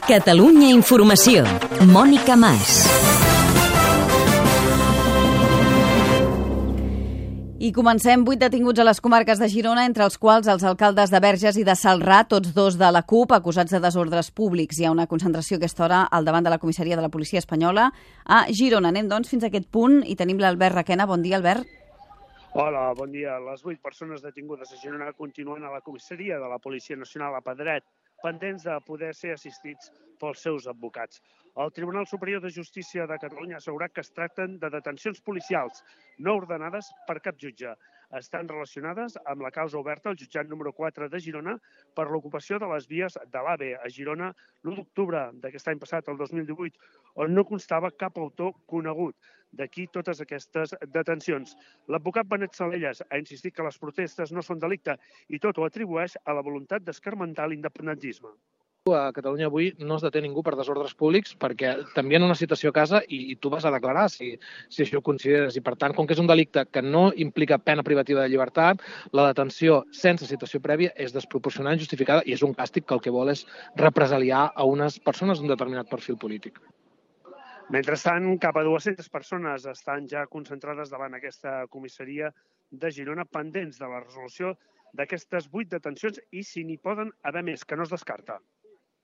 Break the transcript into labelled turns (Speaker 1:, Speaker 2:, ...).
Speaker 1: Catalunya Informació. Mònica Mas.
Speaker 2: I comencem. 8 detinguts a les comarques de Girona, entre els quals els alcaldes de Verges i de Celrà, tots dos de la CUP, acusats de desordres públics. Hi ha una concentració a aquesta hora al davant de la comissaria de la policia espanyola a Girona. Anem, doncs, fins a aquest punt i tenim l'Albert Requena. Bon dia, Albert.
Speaker 3: Hola, bon dia. Les 8 persones detingudes a Girona continuen a la comissaria de la Policia Nacional a Pedret, pendents de poder ser assistits pels seus advocats. El Tribunal Superior de Justícia de Catalunya ha assegurat que es tracten de detencions policials no ordenades per cap jutge. Estan relacionades amb la causa oberta al jutjat número 4 de Girona per l'ocupació de les vies de l'AVE a Girona l'1 d'octubre d'aquest any passat, el 2018, on no constava cap autor conegut. D'aquí totes aquestes detencions. L'advocat Benet Salellas ha insistit que les protestes no són delicte i tot ho atribueix a la voluntat d'escarmentar l'independentisme.
Speaker 4: A Catalunya avui no es deté ningú per desordres públics perquè t'envien una citació a casa i tu vas a declarar si això ho consideres. I per tant, com que és un delicte que no implica pena privativa de llibertat, la detenció sense citació prèvia és desproporcionada i injustificada i és un càstig que el que vol és represaliar a unes persones d'un determinat perfil polític.
Speaker 3: Mentrestant, cap a 200 persones estan ja concentrades davant aquesta comissaria de Girona pendents de la resolució d'aquestes 8 detencions i si n'hi poden haver més, que no es descarta.